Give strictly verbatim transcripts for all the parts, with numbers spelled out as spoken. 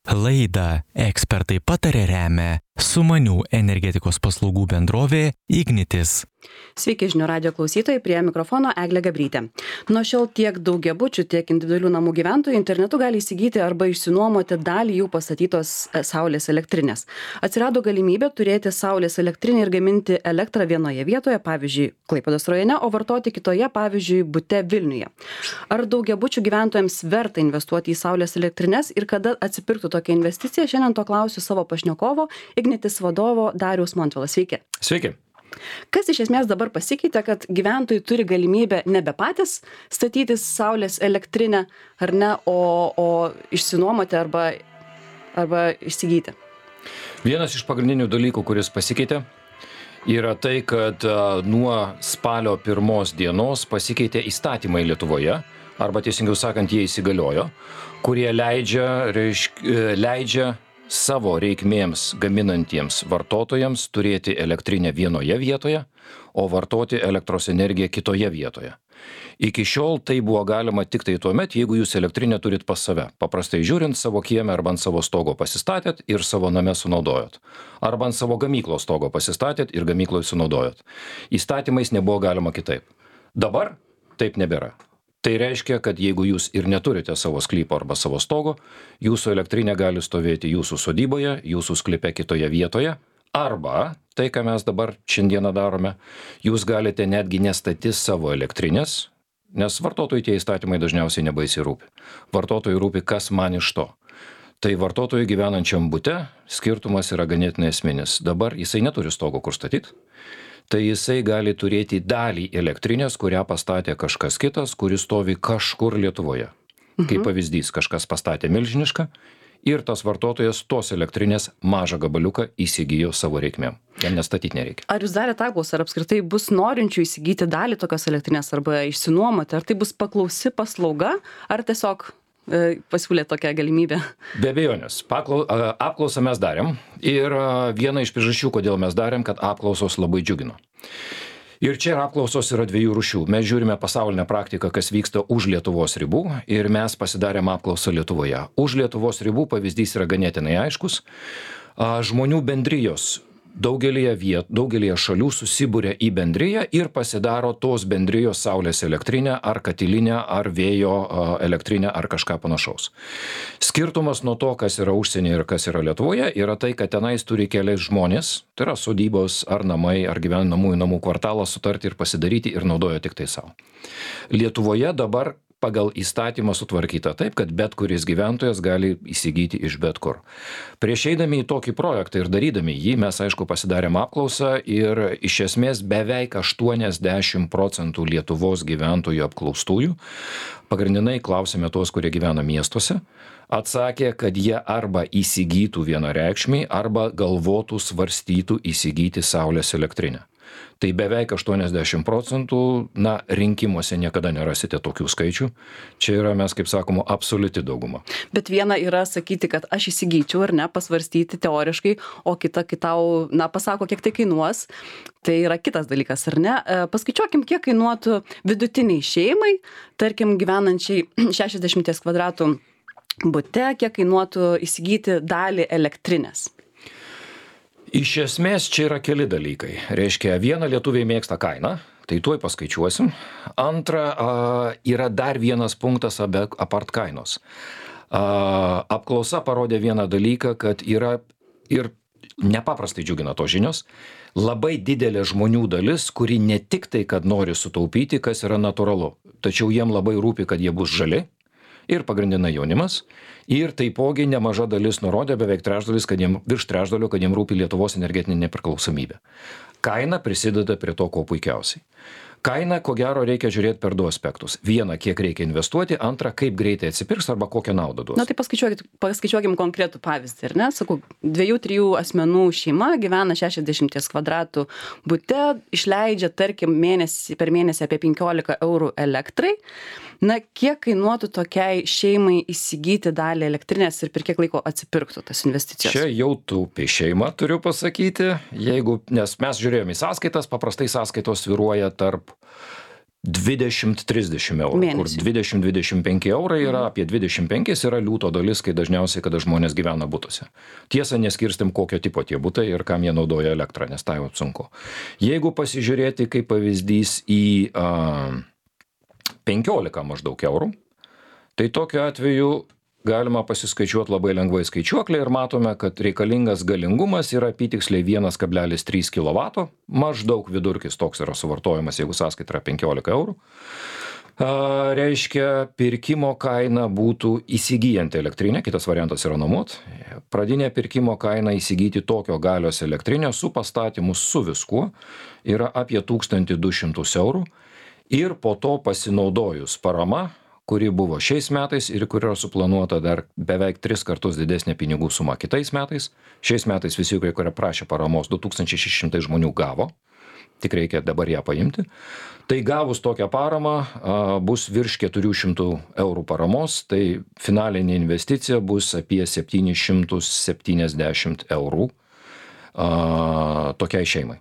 Laidą Ekspertai pataria remia Sumanių energetikos paslaugų bendrovė Ignitis. Sveiki žinių radijo klausytojai, prie mikrofono Eglė Gabrytė. Nuo šiol tiek daugiabučių, tiek individualių namų gyventojų internetu gali įsigyti arba išsinuomoti dalį jų pastatytos saulės elektrinės. Atsirado galimybė turėti saulės elektrinę ir gaminti elektrą vienoje vietoje, pavyzdžiui, Klaipėdos rajone, o vartoti kitoje, pavyzdžiui, bute Vilniuje. Ar daugiabučių gyventojams verta investuoti į saulės elektrines ir kada atsipirktų tokia investicija? Šiandien to klausiu savo pašnekovo, Ignitis vadovo Dariaus Montvilas. Sveiki. Sveiki. Kas iš esmės dabar pasikeitė, kad gyventojai turi galimybę nebe patys statytis saulės elektrinę, ar ne, o, o išsinuomoti arba, arba įsigyti? Vienas iš pagrindinių dalykų, kuris pasikeitė, yra tai, kad a, nuo spalio pirmos dienos pasikeitė įstatymai Lietuvoje, arba teisingiau sakant, jie įsigaliojo, kurie leidžia, reišk, leidžia savo reikmėms gaminantiems vartotojams turėti elektrinę vienoje vietoje, o vartoti elektros energiją kitoje vietoje. Iki šiol tai buvo galima tik tai tuomet, jeigu jūs elektrinę turit pas save. Paprastai žiūrint, savo kieme arba ant savo stogo pasistatėt ir savo name sunaudojot. Arba ant savo gamyklos stogo pasistatėt ir gamykloje sunaudojot. Įstatymais nebuvo galima kitaip. Dabar taip nebėra. Tai reiškia, kad jeigu jūs ir neturite savo sklypo arba savo stogo, jūsų elektrinė gali stovėti jūsų sodyboje, jūsų sklype kitoje vietoje, arba, tai ką mes dabar šiandieną darome, jūs galite netgi nestatyti savo elektrinės, nes vartotojui tie įstatymai dažniausiai nebaisiai rūpi. Vartotojui rūpi, kas man iš to. Tai vartotojui gyvenančiam bute skirtumas yra ganėtinai esminis. Dabar jisai neturi stogo kur statyti. Tai jisai gali turėti dalį elektrinės, kurią pastatė kažkas kitas, kuris stovi kažkur Lietuvoje. Mhm. Kaip pavyzdys, kažkas pastatė milžinišką ir tas vartotojas tos elektrinės mažą gabaliuką įsigijo savo reikmėm. Jam nestatyti nereikia. Ar jūs darėte apklausą, ar apskritai bus norinčių įsigyti dalį tokios elektrinės arba išsinuomoti? Ar tai bus paklausi paslauga, ar tiesiog pasiūlė tokią galimybę? Be abejonės. Paklau, apklausą mes darėm ir viena iš priežasčių, kodėl mes darėm, kad apklausos labai džiugino. Ir čia apklausos yra dviejų rūšių. Mes žiūrime pasaulinę praktiką, kas vyksta už Lietuvos ribų ir mes pasidarėm apklausą Lietuvoje. Už Lietuvos ribų pavyzdys yra ganėtinai aiškus. Žmonių bendrijos daugelėje vietų, daugelėje šalių susibūrė į bendriją ir pasidaro tos bendrijos saulės elektrinę ar katilinę ar vėjo elektrinę ar kažką panašaus. Skirtumas nuo to, kas yra užsienyje ir kas yra Lietuvoje, yra tai, kad tenais turi keliais žmonės, tai yra sodybos ar namai ar gyvenamųjų namų kvartalą sutarti ir pasidaryti ir naudoja tik tai savo. Lietuvoje dabar pagal įstatymą sutvarkyta taip, kad bet kuris gyventojas gali įsigyti iš bet kur. Prieš eidami į tokį projektą ir darydami jį, mes aišku pasidarėm apklausą ir iš esmės beveik aštuoniasdešimt procentų Lietuvos gyventojų apklaustųjų, pagrindinai klausėme tos, kurie gyvena miestuose, atsakė, kad jie arba įsigytų vienareikšmiai, arba galvotų, svarstytų įsigyti saulės elektrinę. Tai beveik aštuoniasdešimt procentų, na, rinkimuose niekada nerasite tokių skaičių. Čia yra, mes kaip sakoma, absoliuti dauguma. Bet viena yra sakyti, kad aš įsigyčiau ar ne, pasvarstyti teoriškai, o kita kitau, na, pasako, kiek tai kainuos. Tai yra kitas dalykas, ar ne? Paskaičiuokim, kiek kainuotų vidutiniai šeimai, tarkim, gyvenančiai šešiasdešimt kvadratų bute, kiek kainuotų įsigyti dalį elektrinės. Iš esmės čia yra keli dalykai. Reiškia, viena lietuviai mėgsta kainą, tai tuoj paskaičiuosim. Antra, yra dar vienas punktas apart kainos. Apklausa parodė vieną dalyką, kad yra ir nepaprastai džiugina tos žinios, labai didelė žmonių dalis, kuri ne tik tai, kad nori sutaupyti, kas yra natūralu, tačiau jiem labai rūpi, kad jie bus žali. Ir pagrindinai jaunimas, ir taipogi nemaža dalis nurodė, beveik trečdalis, kad jiem, virš trečdalio, kad jiem rūpi Lietuvos energetinė nepriklausomybė. Kaina prisideda prie to, ko puikiausiai. Kainą, ko gero, reikia žiūrėti per du aspektus. Viena, kiek reikia investuoti, antra, kaip greitai atsipirks arba kokią naudą duos. Na tai paskaičiuokim konkretų pavyzdį, ar ne? Sakau, dviejų, trijų asmenų šeima gyvena šešiasdešimt kvadratų bute, išleidžia, tarkim, mėnesį, per mėnesį apie penkiolika eurų elektrai. Na, kiek kainuotų tokiai šeimai įsigyti dalį elektrinės ir per kiek laiko atsipirktų tas investicijos? Čia jau taupi šeima, turiu pasakyti, jeigu, nes mes žiūrėjome į sąskaitas, paprastai sąskaitos svyruoja tarp dvidešimt trisdešimt eurų, kur Mėnesį. dvidešimt dvidešimt penki eurai yra, apie dvidešimt penki yra liūto dalis, kai dažniausiai, kada žmonės gyvena butuose. Tiesa, neskirstim, kokio tipo tie butai ir kam jie naudoja elektrą, nes tai jau sunku. Jeigu pasižiūrėti kaip pavyzdys į a, penkiolika maždaug eurų, tai tokiu atveju galima pasiskaičiuoti labai lengvai skaičiuoklę ir matome, kad reikalingas galingumas yra apytiksliai vienas kablelis trys kilovato, maždaug vidurkis toks yra suvartojimas, jeigu sąskaita yra penkiolika eurų. A, reiškia, pirkimo kaina būtų įsigyjant elektrinę, kitas variantas yra nuomot. Pradinė pirkimo kaina įsigyti tokio galios elektrinę su pastatymu su viskuo yra apie tūkstantį du šimtus eurų ir po to pasinaudojus parama, kuri buvo šiais metais ir kuri yra suplanuota dar beveik tris kartus didesnė pinigų suma kitais metais. Šiais metais visi, kurie prašė paramos, du tūkstančiai šeši šimtai žmonių gavo, tik reikia dabar ją paimti. Tai gavus tokią paramą bus virš keturių šimtų eurų paramos, tai finalinė investicija bus apie septyni šimtai septyniasdešimt eurų a, tokiai šeimai.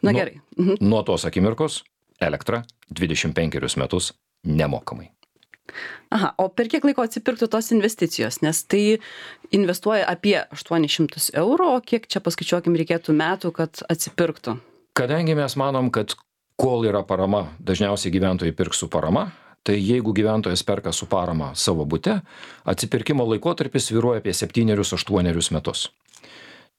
Na gerai. Nuo, nuo tos akimirkos elektra dvidešimt penkerius metus nemokamai. Aha, o per kiek laiko atsipirktų tos investicijos, nes tai investuoja apie aštuonis šimtus eurų, o kiek čia paskaičiuokim reikėtų metų, kad atsipirktų? Kadangi mes manom, kad kol yra parama, dažniausiai gyventojai pirks su parama, tai jeigu gyventojas perka su parama savo bute, atsipirkimo laikotarpis svyruoja apie septynerius aštuonerius metus.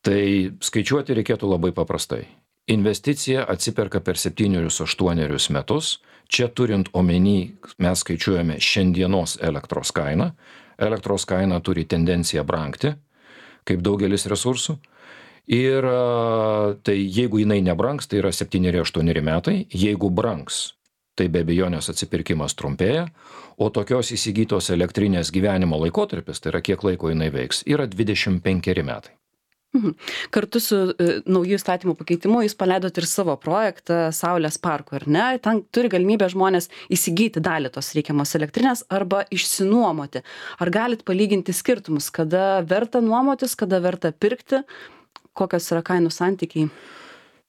Tai skaičiuoti reikėtų labai paprastai. Investicija atsiperka per septynerius aštuonerius metus. Čia turint omeny, mes skaičiuojame šiandienos elektros kainą. Elektros kaina turi tendenciją brangti, kaip daugelis resursų. Ir tai jeigu jinai nebrangs, tai yra septyneri aštuoneri metai. Jeigu brangs, tai be abejonės atsipirkimas trumpėja. O tokios įsigytos elektrinės gyvenimo laikotarpis, tai yra kiek laiko jinai veiks, yra dvidešimt penkeri metai. Mhm. Kartu su e, naujų įstatymų pakeitimu jūs paleidot ir savo projektą Saulės parkų, ar ne? Ten turi galimybę žmonės įsigyti dalį tos reikiamos elektrinės arba išsinuomoti. Ar galit palyginti skirtumus, kada verta nuomotis, kada verta pirkti, kokios yra kainų santykiai?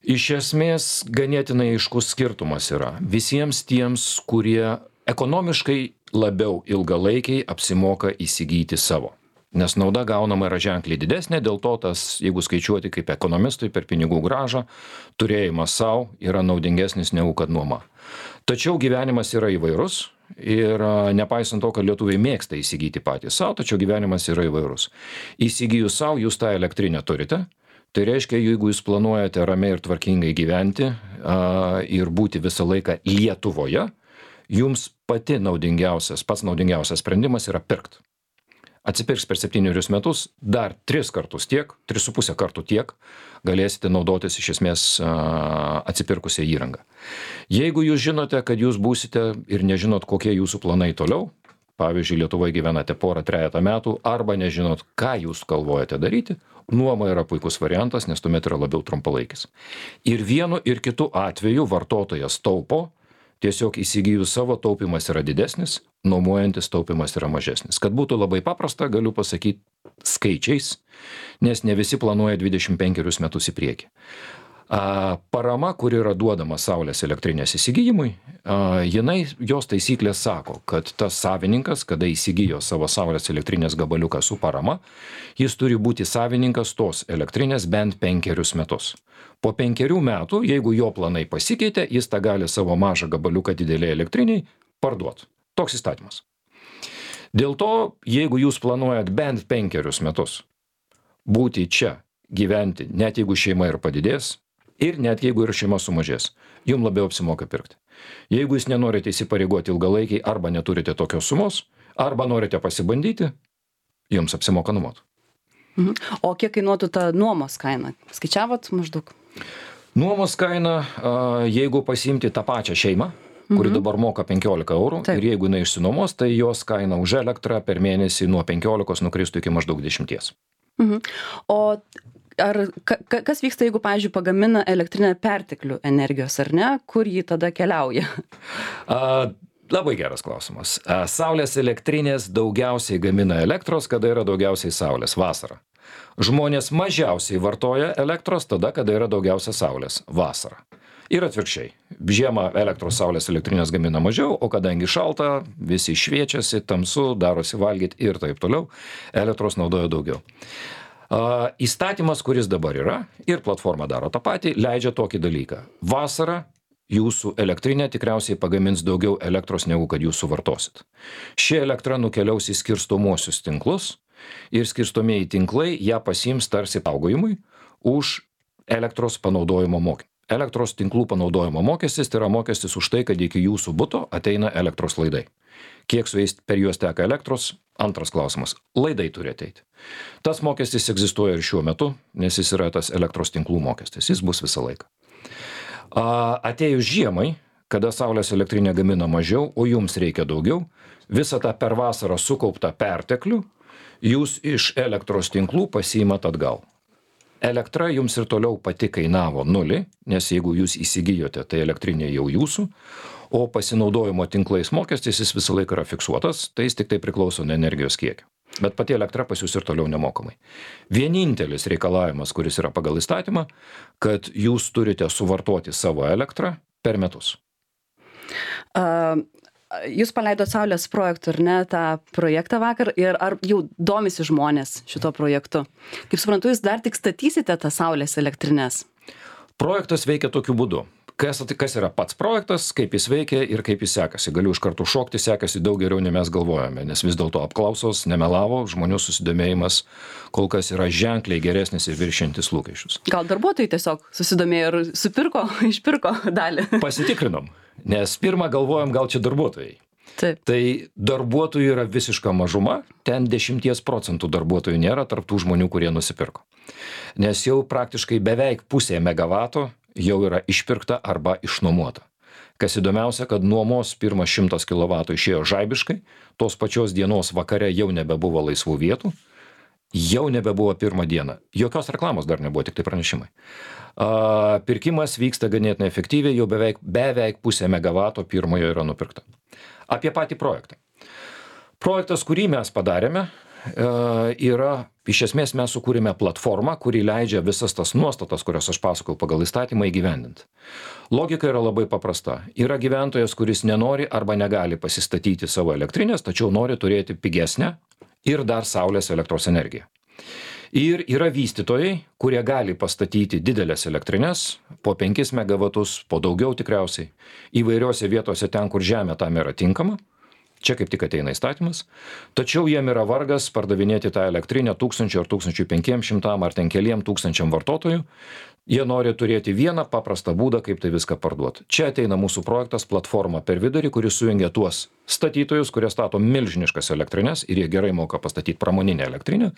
Iš esmės ganėtinai aiškus skirtumas yra. Visiems tiems, kurie ekonomiškai labiau ilgalaikiai apsimoka įsigyti savo. Nes nauda gaunama yra ženkliai didesnė, dėl to tas, jeigu skaičiuoti kaip ekonomistui per pinigų grąžą, turėjimas savo yra naudingesnis negu kad nuoma. Tačiau gyvenimas yra įvairus ir nepaisant to, kad lietuviai mėgsta įsigyti patys savo, tačiau gyvenimas yra įvairus. Įsigijus savo, jūs tą elektrinę turite, tai reiškia, jeigu jūs planuojate ramiai ir tvarkingai gyventi a, ir būti visą laiką Lietuvoje, jums pati naudingiausias, pats naudingiausias sprendimas yra pirkt. Atsipirks per septynerius metus, dar tris kartus tiek, tris su pusę kartų tiek, galėsite naudotis iš esmės atsipirkusią įrangą. Jeigu jūs žinote, kad jūs būsite ir nežinot, kokie jūsų planai toliau, pavyzdžiui, Lietuvoje gyvenate porą trejetą metų, arba nežinot, ką jūs galvojate daryti, nuoma yra puikus variantas, nes tuomet yra labiau trumpalaikis. Ir vienu ir kitu atveju vartotojas taupo, tiesiog įsigijus savo taupimas yra didesnis, nuomojantis taupimas yra mažesnis. Kad būtų labai paprasta, galiu pasakyti skaičiais, nes ne visi planuoja dvidešimt penkerius metus į priekį. A, parama, kuri yra duodama Saulės elektrinės įsigijimui, a, jinai, jos taisyklės sako, kad tas savininkas, kada įsigijo savo Saulės elektrinės gabaliuką su parama, jis turi būti savininkas tos elektrinės bent penkerius metus. Po penkerių metų, jeigu jo planai pasikeitė, jis tą gali savo mažą gabaliuką didelį elektriniai parduoti. Toks įstatymas. Dėl to, jeigu jūs planuojat bent penkerius metus būti čia, gyventi, net jeigu šeima ir padidės, ir net jeigu ir šeima sumažės, jums labiau apsimoka pirkti. Jeigu jūs nenorite įsipareigoti ilgalaikiai arba neturite tokios sumos, arba norite pasibandyti, jums apsimoka nuomoti. Mhm. O kiek kainuotų ta nuomos kaina? Skaičiavot maždaug? Nuomos kaina, jeigu pasiimti tą pačią šeimą, kuri dabar moka penkiolika eurų, Taip. ir jeigu jinai išsinuomos, tai jos kaina už elektrą per mėnesį nuo penkiolikos nukristų iki maždaug dešimties. Mhm. O ar ka, ka- kas vyksta, jeigu, pavyzdžiui, pagamina elektrinę perteklių energijos, ar ne? Kur ji tada keliauja? A, labai geras klausimas. A, Saulės elektrinės daugiausiai gamina elektros, kada yra daugiausiai saulės vasarą. Žmonės mažiausiai vartoja elektros tada, kada yra daugiausia saulės vasarą. Ir atvirkščiai. Žiemą elektros saulės elektrinės gamina mažiau, o kadangi šalta, visi šviečiasi, tamsu, darosi valgyti ir taip toliau, elektros naudoja daugiau. Uh, įstatymas, kuris dabar yra, ir platforma daro tą patį, leidžia tokį dalyką. Vasarą jūsų elektrinė tikriausiai pagamins daugiau elektros, negu kad jūs suvartosit. Ši elektra nukeliaus į skirstomuosius tinklus ir skirstomieji tinklai ją pasiims tarsi saugojimui už elektros panaudojimo mokestį. Elektros tinklų panaudojimo mokestis tai yra mokestis už tai, kad iki jūsų buto ateina elektros laidai. Kiek su jais per juos teka elektros? Antras klausimas. Laidai turi ateiti. Tas mokestis egzistuoja ir šiuo metu, nes jis yra tas elektros tinklų mokestis. Jis bus visą laiką. Atėjus žiemai, kada saulės elektrinė gamina mažiau, o jums reikia daugiau, visą tą per vasarą sukauptą perteklių jūs iš elektros tinklų pasiimat atgal. Elektra jums ir toliau pati kainavo nulį, nes jeigu jūs įsigijote, tai elektrinė jau jūsų, o pasinaudojimo tinklais mokestis jis visą laiką yra fiksuotas, tai jis tik tai priklauso nuo energijos kiekio. Bet pati elektra pas jūs ir toliau nemokamai. Vienintelis reikalavimas, kuris yra pagal įstatymą, kad jūs turite suvartoti savo elektrą per metus. Uh... Jūs paleidot Saulės projektų, ar ne, tą projektą vakar, ir ar jau domisi žmonės šito projektu? Kaip suprantu, jūs dar tik statysite tą Saulės elektrinės? Projektas veikia tokiu būdu. Kas, kas yra pats projektas, kaip jis veikia ir kaip jis sekasi. Galiu iš karto šokti, sekasi daug geriau, nei mes galvojame, nes vis dėlto apklausos nemelavo, žmonių susidomėjimas kol kas yra ženkliai geresnis ir viršiantis lūkesčius. Gal darbuotojai tiesiog susidomėjo ir supirko, išpirko dalį? Pasitikrinom. Nes pirmą galvojom, gal čia darbuotojai. Taip. Tai darbuotojų yra visiška mažuma, ten dešimties procentų darbuotojų nėra tarp tų žmonių, kurie nusipirko. Nes jau praktiškai beveik pusė megavato jau yra išpirkta arba išnuomota. Kas įdomiausia, kad nuomos pirmas šimtas kilovatų išėjo žaibiškai, tos pačios dienos vakare jau nebebuvo laisvų vietų, jau nebebuvo pirmą dieną. Jokios reklamos dar nebuvo, tik tai pranešimai. Pirkimas vyksta ganėtinai efektyviai, jau beveik, beveik pusė megavato pirmojo yra nupirkta. Apie patį projektą. Projektas, kurį mes padarėme, yra, iš esmės mes sukūrėme platformą, kuri leidžia visas tas nuostatas, kurias aš pasakau pagal įstatymą, įgyvendinti. Logika yra labai paprasta. Yra gyventojas, kuris nenori arba negali pasistatyti savo elektrinės, tačiau nori turėti pigesnę ir dar saulės elektros energiją. Ir yra vystytojai, kurie gali pastatyti didelės elektrinės, po penkis megavatus, po daugiau tikriausiai, įvairiose vietose ten, kur žemė tam yra tinkama. Čia kaip tik ateina įstatymas. Tačiau jiem yra vargas pardavinėti tą elektrinę tūkstančių ar tūkstančių penkiem šimtam ar ten keliem tūkstančiam vartotojų. Jie nori turėti vieną paprastą būdą, kaip tai viską parduoti. Čia ateina mūsų projektas platforma per vidurį, kuris sujungia tuos statytojus, kurie stato milžiniškas elektrinės ir jie gerai moka pastatyti pramoninę elektrinę,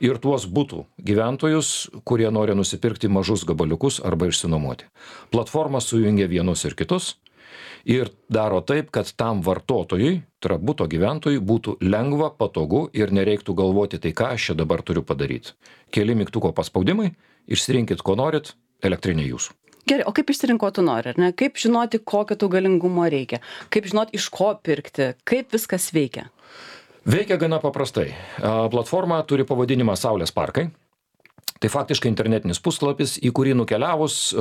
ir tuos butų gyventojus, kurie nori nusipirkti mažus gabaliukus arba išsinuomoti. Platforma sujungia vienus ir kitus ir daro taip, kad tam vartotojui, tai yra buto gyventojui, būtų lengva, patogu ir nereiktų galvoti, tai ką aš čia dabar turiu padaryti. Keli mygtuko paspaudimai, išsirinkit, ko norit, elektrinė jūsų. Gerai, o kaip išsirinko tu nori, ar ne? Kaip žinoti, kokio tu galingumo reikia? Kaip žinoti, iš ko pirkti? Kaip viskas veikia? Veikia gana paprastai. Platforma turi pavadinimą Saulės parkai. Tai faktiškai internetinis puslapis, į kurį nukeliavus,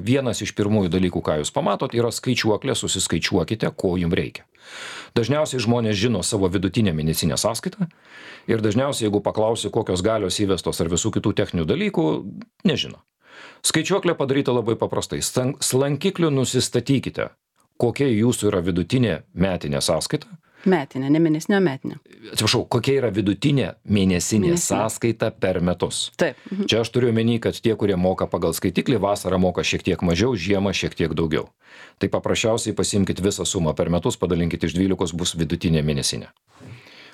vienas iš pirmųjų dalykų, ką jūs pamatot, yra skaičiuoklė, susiskaičiuokite, ko jums reikia. Dažniausiai žmonės žino savo vidutinę mėnesinę sąskaitą ir dažniausiai, jeigu paklausi, kokios galios įvestos ar visų kitų techninių dalykų, nežino. Skaičiuoklė padaryta labai paprastai. Slankikliu nusistatykite, kokia jūsų yra vidutinė metinė sąskaita. Metinė, ne mėnesinė, metinė. Atsiprašau, kokia yra vidutinė mėnesinė, mėnesinė sąskaita per metus. Taip. Mhm. Čia aš turiu omeny, kad tie, kurie moka pagal skaitiklį, vasarą moka šiek tiek mažiau, žiemą šiek tiek daugiau. Tai paprasčiausiai pasimkit visą sumą per metus, padalinkit iš dvylikos, bus vidutinė mėnesinė.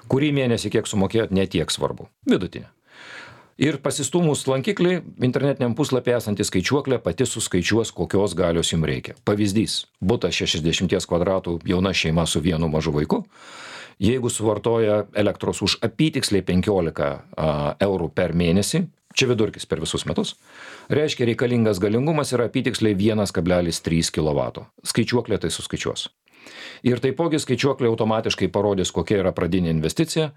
Kurį mėnesį kiek sumokėjot, ne tiek svarbu. Vidutinė. Ir pasistūmus lankiklį, internetiniam puslapį esantį skaičiuoklę pati suskaičiuos, kokios galios jums reikia. Pavyzdys, butas šešiasdešimties kvadratų, jauna šeima su vienu mažu vaiku, jeigu suvartoja elektros už apytiksliai penkiolika eurų per mėnesį, čia vidurkis per visus metus, reiškia reikalingas galingumas yra apytiksliai vienas kablelis trys kilovato. Skaičiuoklė tai suskaičiuos. Ir taipogi skaičiuoklė automatiškai parodys, kokia yra pradinė investicija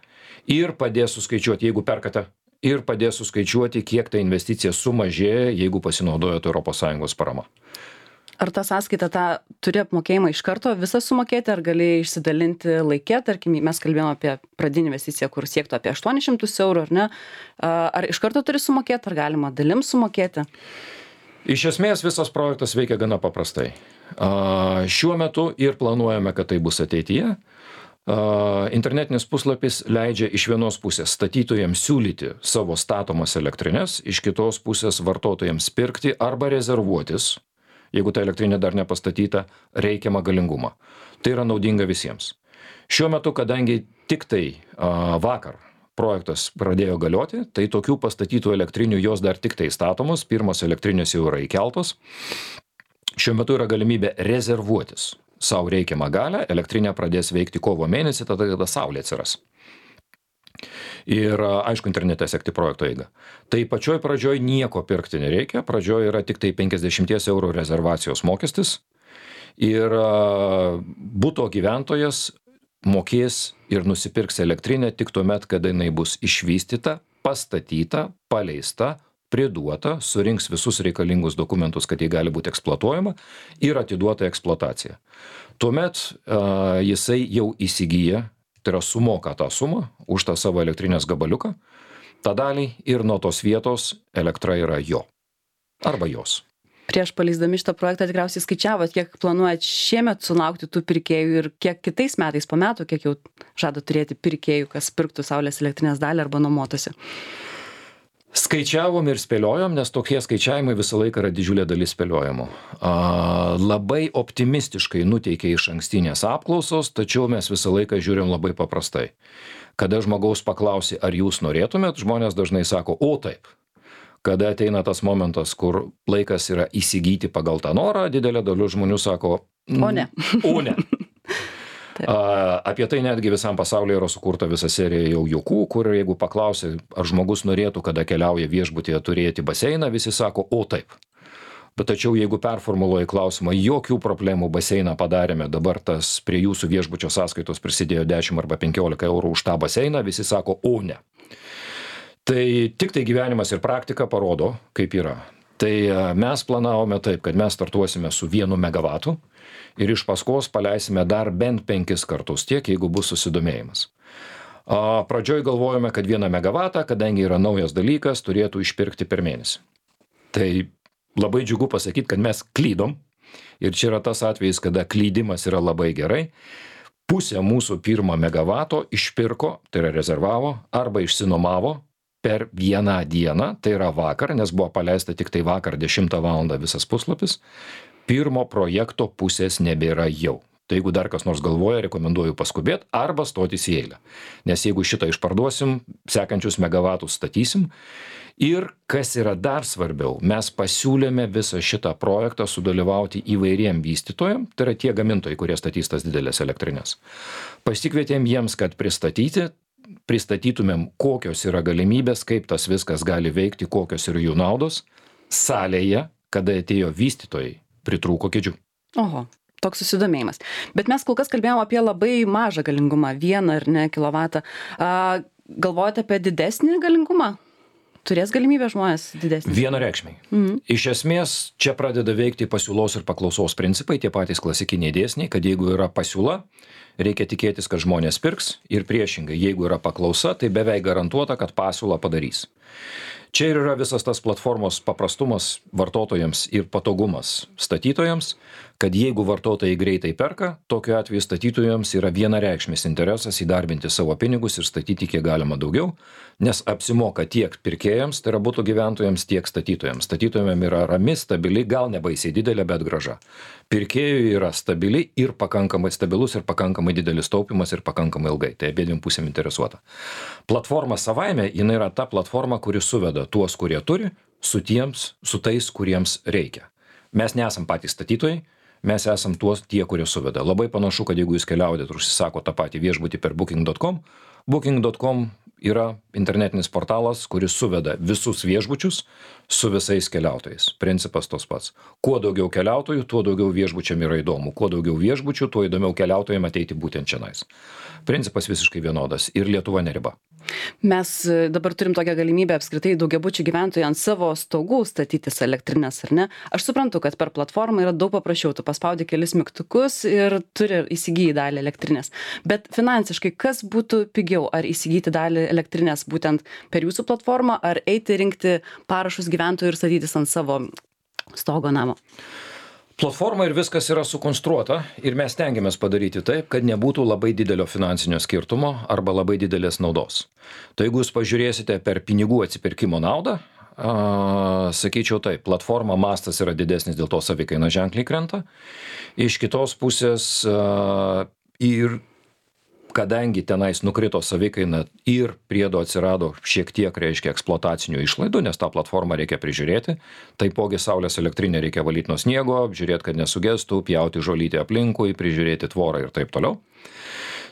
ir padės suskaičiuoti, jeigu perkate, ir padės suskaičiuoti, kiek ta investicija sumažėja, jeigu pasinaudojate Europos Sąjungos parama. Ar tą sąskaitą tą turi apmokėjimą iš karto visą sumokėti, ar gali išsidalinti laikė, tarkim, mes kalbėjome apie pradinį investiciją, kur siektų apie aštuonis šimtus eurų, ar ne? Ar iš karto turi sumokėti, ar galima dalim sumokėti? Iš esmės visas projektas veikia gana paprastai. Šiuo metu ir planuojame, kad tai bus ateityje. Internetinis puslapis leidžia iš vienos pusės statytojams siūlyti savo statomas elektrinės, iš kitos pusės vartotojams pirkti arba rezervuotis, jeigu ta elektrinė dar nepastatyta, reikiamą galingumą. Tai yra naudinga visiems. Šiuo metu, kadangi tik tai a, vakar projektas pradėjo galioti, tai tokių pastatytų elektrinių jos dar tik tai statomos, pirmos elektrinės jau yra įkeltos. Šiuo metu yra galimybė rezervuotis savo reikiamą galę, elektrinė pradės veikti kovo mėnesį, tada kada saulė atsiras. Ir aišku, internete sekti projekto eigą. Tai pačioj pradžioj nieko pirkti nereikia, pradžioj yra tik tai penkiasdešimt eurų rezervacijos mokestis ir buto gyventojas mokės ir nusipirks elektrinę tik tuomet, kada jinai bus išvystyta, pastatyta, paleista, priduota, surinks visus reikalingus dokumentus, kad jį gali būti eksploatuojama ir atiduota eksploatacija. Tuomet uh, jisai jau įsigyja, tai yra sumoka tą sumą už tą savo elektrinės gabaliuką, tą dalį ir nuo tos vietos elektra yra jo arba jos. Prieš paleisdami šitą projektą tikriausiai skaičiavot, kiek planuojat šiemet sulaukti tų pirkėjų ir kiek kitais metais po metų, kiek jau žada turėti pirkėjų, kas pirktų saulės elektrinės dalį arba nuomotųsi. Skaičiavom ir spėliojom, nes tokie skaičiavimai visą laiką yra didžiulė dalis spėliojimų. A, labai optimistiškai nuteikia iš ankstinės apklausos, tačiau mes visą laiką žiūrim labai paprastai. Kada žmogaus paklausi, ar jūs norėtumėt, žmonės dažnai sako, o taip. Kada ateina tas momentas, kur laikas yra įsigyti pagal tą norą, didelė dalis žmonių sako, o ne. O ne. A, apie tai netgi visam pasaulyje yra sukurta visa serija jau juokų, kur jeigu paklausi, ar žmogus norėtų, kada keliauja viešbutyje turėti baseiną, visi sako, o taip. Bet tačiau jeigu performuluoji klausimą, jokių problemų baseiną padarėme, dabar tas prie jūsų viešbučio sąskaitos prisidėjo dešimt arba penkiolika eurų už tą baseiną, visi sako, o ne. Tai tik tai gyvenimas ir praktika parodo, kaip yra. Tai mes planavome taip, kad mes startuosime su vienu megavatu ir iš paskos paleisime dar bent penkis kartus tiek, jeigu bus susidomėjimas. Pradžioj galvojome, kad vieną megavatą, kadangi yra naujas dalykas, turėtų išpirkti per mėnesį. Tai labai džiugu pasakyti, kad mes klydom ir čia yra tas atvejis, kada klydimas yra labai gerai. Pusę mūsų pirmo megavato išpirko, tai yra rezervavo, arba išsinomavo per vieną dieną, tai yra vakar, nes buvo paleista tik tai vakar dešimtą valandą visas puslapis, pirmo projekto pusės nebėra jau. Tai jeigu dar kas nors galvoja, rekomenduoju paskubėti arba stotis į eilę. Nes jeigu šitą išparduosim, sekančius megavatus statysim. Ir kas yra dar svarbiau, mes pasiūlėme visą šitą projektą sudalyvauti įvairiem vystytojam, tai yra tie gamintojai, kurie statys tas didelės elektrinės. Pasikvietėm jiems, kad pristatyti, pristatytumėm, kokios yra galimybės, kaip tas viskas gali veikti, kokios yra jų naudos. Salėje, kada atėjo vystytojai, pritrūko kėdžių. Oho, toks susidomėjimas. Bet mes kol kas kalbėjom apie labai mažą galingumą, vieną ar ne kilovatą. A, galvojate apie didesnį galingumą? Turės galimybę žmonės didesnį? Vienareikšmiai. Mhm. Iš esmės, čia pradeda veikti pasiūlos ir paklausos principai, tie patys klasikiniai dėsniai, kad jeigu yra pasiūla, reikia tikėtis, kad žmonės pirks ir priešingai, jeigu yra paklausa, tai beveik garantuota, kad pasiūlą padarys. Čia ir yra visas tas platformos paprastumas vartotojams ir patogumas statytojams, kad jeigu vartotojai greitai perka, tokiu atveju statytojams yra vienareikšmis interesas įdarbinti savo pinigus ir statyti kiek galima daugiau, nes apsimoka tiek pirkėjams, tai yra butų gyventojams, tiek statytojams. Statytojams yra rami, stabili, gal nebaisiai didelė, bet graža. Pirkėjui yra stabili ir pakankamai stabilus ir pakankamai didelis taupimas ir pakankamai ilgai. Tai abiem pusėm interesuota. Platforma savaime, jinai yra ta platforma, kuri suveda tuos, kurie turi, su tiems, su tais, kuriems reikia. Mes nesam patys statytojai, mes esam tuos tie, kurie suveda. Labai panašu, kad jeigu jūs keliaujate ir užsisako tą patį viešbutį per booking dot com, booking dot com yra internetinis portalas, kuris suveda visus viešbučius su visais keliautojais. Principas tos pats. Kuo daugiau keliautojų, tuo daugiau viešbučiam yra įdomu. Kuo daugiau viešbučių, tuo įdomiau keliautojams ateiti būtent čionais. Principas visiškai vienodas ir Lietuva neriba. Mes dabar turim tokią galimybę apskritai daugiabučių gyventojai ant savo stogų statytis elektrinės, ar ne? Aš suprantu, kad per platformą yra daug paprasčiau, tu paspaudi kelis mygtukus ir turi įsigyti dalį elektrinės. Bet finansiškai, kas būtų pigiau? Ar įsigyti dalį elektrinės būtent per jūsų platformą, ar eiti rinkti parašus gyventojų ir statytis ant savo stogo namo? Platforma ir viskas yra sukonstruota ir mes stengiamės padaryti taip, kad nebūtų labai didelio finansinio skirtumo arba labai didelės naudos. Tai jeigu jūs pažiūrėsite per pinigų atsipirkimo naudą, a, sakyčiau taip, platforma mastas yra didesnis, dėl to savikaina ženkliai krenta. Iš kitos pusės a, ir kadangi tenais nukrito savikaina ir priedo atsirado šiek tiek, reiškia, eksploatacinių išlaidų, nes tą platformą reikia prižiūrėti, taipogi saulės elektrinę reikia valyti nuo sniego, žiūrėti, kad nesugestų, pjauti žolytę aplinkui, prižiūrėti tvorą ir taip toliau.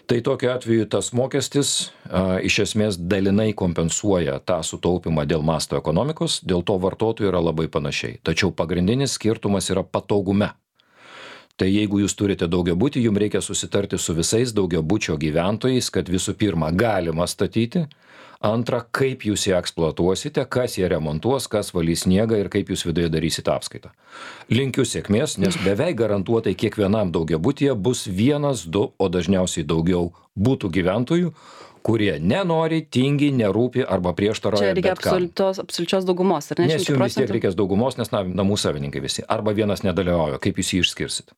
Tai tokiu atveju tas mokestis a, iš esmės dalinai kompensuoja tą sutaupimą dėl masto ekonomikos, dėl to vartotojų yra labai panašiai. Tačiau pagrindinis skirtumas yra patogume. Tai jeigu jūs turite daugiabutį, jums reikia susitarti su visais daugiabučio gyventojais, kad visų pirma galima statyti, antra, kaip jūs ją eksploatuosite, kas ją remontuos, kas valys sniegą ir kaip jūs viduje darysite apskaitą. Linkiu sėkmės, nes beveik garantuotai kiekvienam daugiabutyje bus vienas, du, o dažniausiai daugiau būtų gyventojų, kurie nenori, tingi, nerūpi arba prieštarauja. Čia reikia absoliučios, absoliučios daugumos, ar ne? Nes jums vis tiek reikės daugumos, nes na, namų savininkai visi. Arba vienas nedalyvauja, kaip jūs jį išskirsit.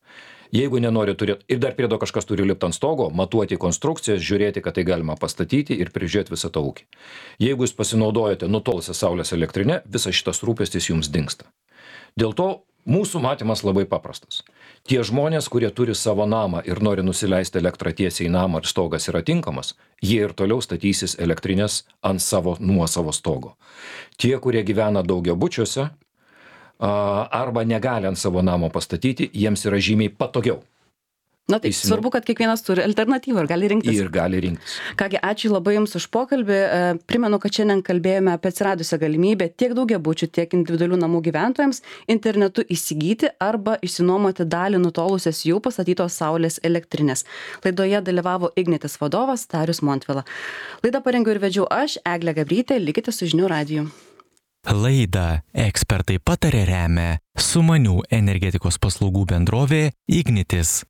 Jeigu nenori turėti, ir dar priedo kažkas turi lipti ant stogo, matuoti konstrukcijas, žiūrėti, kad tai galima pastatyti ir prižiūrėti visą tą ūkį. Jeigu jūs pasinaudojate nutolusią saulės elektrinę, visas šitas rūpestis jums dingsta. Dėl to mūsų matymas labai paprastas. Tie žmonės, kurie turi savo namą ir nori nusileisti elektrą tiesiai į namą ir stogas yra tinkamas, jie ir toliau statysis elektrinės ant savo nuosavo stogo. Tie, kurie gyvena daugiabučiuose arba negali ant savo namo pastatyti, jiems yra žymiai patogiau. Na taip, Teisinu. svarbu, kad kiekvienas turi alternatyvą ir gali rinktis. Ir gali rinktis. Kągi, ačiū labai Jums už pokalbį. Primenu, kad šiandien kalbėjome apie atsiradusią galimybę tiek daugiabučių, tiek individualių namų gyventojams internetu įsigyti arba išsinuomoti dalį nutolusios jau pastatytos saulės elektrinės. Laidoje dalyvavo Ignitis vadovas Darius Montvila. Laidą parengiau ir vedžiau aš, Eglė Gabrytė, likite su žinių radiju. Laidą ekspertai patarė remia Sumanių energetikos paslaugų bendrovė Ignitis.